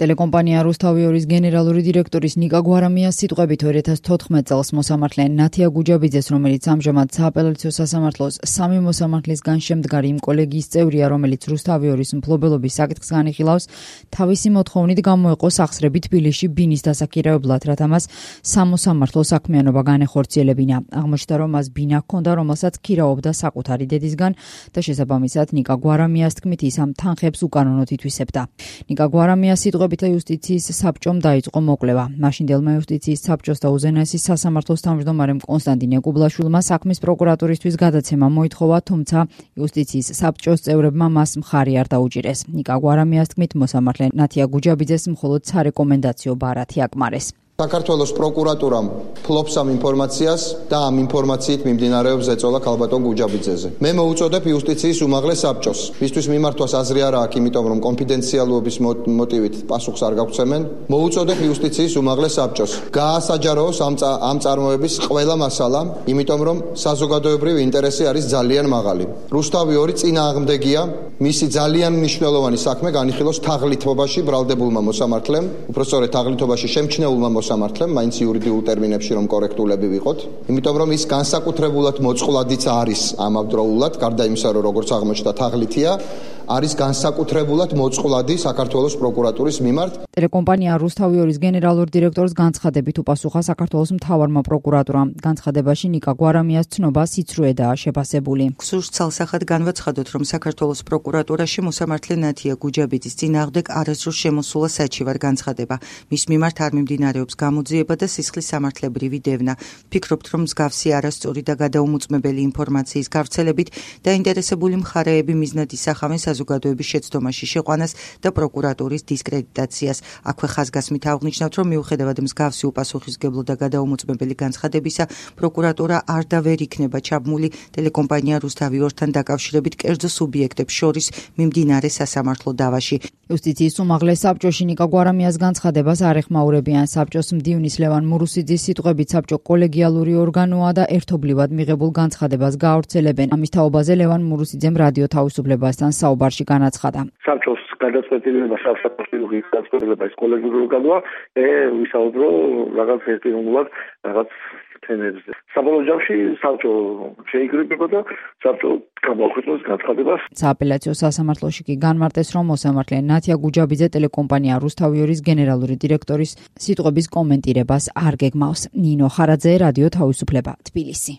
ტელეკომპანია რუსთავიორის გენერალური დირექტორის ნიკა გვარამიას სიტყვებით 2014 წელს მოსამართლე ნათია გუჯაბიძეს, რომელიც ამჟამად სააპელაციო სასამართლოს სამი მოსამართლისგან შემდგარი იმ კოლეგიის წევრია, რომელიც რუსთავიორის მფლობელობის საკითხს განიხილავს, თავისი მოთხოვნით გამოეყო სახსრები თბილისში ბინის დასაქირავებლად, რათა მას სამოსამართლო საქმიანობა განეხორციელებინა. აღმოჩნდა, რომ მას ბინა ჰქონდა, რომელსაც ქირაობდა საკუთარი დედისგან და შესაბამისად ნიკა გვარამიას თქმით ის ამ თანხებს უკანონოდ ითვისებდა. ნიკა გვარამიას სიტყვებით იუსტიციის საბჭომ დაიწყო მოკვლევა. მაშინდელმა იუსტიციის საბჭოს და უზენაესის სასამართლოს თავმჯდომარემ კონსტანტინე კუბლაშვილმა საქმის პროკურატურისთვის გადაცემა მოითხოვა, თუმცა იუსტიციის საბჭოს წევრებმა მას მხარი არ დაუჭირეს. ნიკა გვარამიას თქმით, მოსამართლე ნათია გუჯაბიძეს მხოლოდ სარეკომენდაციო ბარათი აკმარეს. საქართველოს პროკურატურამ ფლობს ამ ინფორმაციას და ამ ინფორმაციით მიმდინარეობს ზეწოლა ქალბატონ გუჯაბიძეზე. მე მოუწოდებ იუსტიციის უმაღლეს საბჭოს, მისთვის მიმართვას აზრი არ აქვს, იმიტომ რომ კონფიდენციალობის მოტივით პასუხს არ გაგცემენ. მოუწოდებ იუსტიციის უმაღლეს საბჭოს გაასაჯაროოს ამ წარმოების ყველა მასალა, იმიტომ რომ საზოგადოებრივი ინტერესი არის ძალიან მაღალი. რუსთავი-2 წინააღმდეგია, მისი ძალიან მნიშვნელოვანი საქმე განიხილოს თაღლითობაში ბრალდებულმა მოსამართლემ, უფრო სწორედ თაღლითობაში შემჩნეულმა მოსამართლემ, მაინც იურიდიულ ტერმინებში რომ კორექტულები ვიყოთ, იმიტომ რომ ის განსაკუთრებულად მოწყვლადიც არის ამავდროულად, გარდა იმისა, რომ როგორც აღმოჩნდა თაღლითია, არის განსაკუთრებულად მოწყვლადი საქართველოს პროკურატურის მიმართ. ტელეკომპანია რუსთავიორის გენერალურ დირექტორს განცხადებით უპასუხა საქართველოს მთავარმა პროკურატურამ. განცხადებაში ნიკა გვარამიას ცნობა სიცრუედაა შეფასებული. გსურს ცალსახად განვაცხადოთ, რომ საქართველოს პროკურატურაში მოსამართლე ნათია გუჯაბიძის წინააღმდეგ არასდროს შემოსულა საჩივარ განცხადება. მის მიმართ არ მიმდინარეობს გამოძიება და სისხლის სამართლებრივი დევნა. ვფიქრობთ, რომ მსგავსი არასწორი და გადაუმოწმებელი ინფორმაციის გავრცელებით დაინტერესებული მხარეები მიზნად ისახავენ საზოგადოების შეცდომაში შეყვანას და პროკურატურის დისკრედიტაციას. აქვე ხაზგასმით აღნიშნავთ, რომ მიუხედავად მსგავსი უპასუხისმგებლო და გადაუმოწმებელი განცხადებისა, პროკურატურა არ და ვერ იქნება ჩაბმული ტელეკომპანია რუსთავი-2-თან დაკავშირებით კერძო სუბიექტებს შორის მიმდინარე სასამართლო დავაში. იუსტიციის უმაღლეს საბჭოში ნიკა გვარამიას განცხადებას არ ეხმაურებიან. საბჭოს მდივნის ლევან მურუსიძის სიტყვებით საბჭო კოლეგიალური ორგანოა და ერთობლივად მიღებულ განცხადებას გაავრცელებენ. ამის თაობაზე ლევან მურუსიძემ რადიო თავისუფლებასთან საუბარში განაცხადა. საბჭოს გადაწყვეტილება საბჭოს გადაწყვეტილება ის კოლეგიური ორგანოა, ვისაუბრო რაღაც ერთპიროვნულად რაღაც თემებზე. საბოლოო ჯამში საბჭო შეიკრიბება და საბჭო გამოაქვეყნოს განცხადებას. სააპელაციო სასამართლოში კი განმარტეს, რომ მოსამართლე ნათია გუჯაბიძე ტელეკომპანია რუსთავიორის გენერალური დირექტორის სიტყვების კომენტირებას არ გეგმავს. ნინო ხარაძე, რადიო თავისუფლება, თბილისი.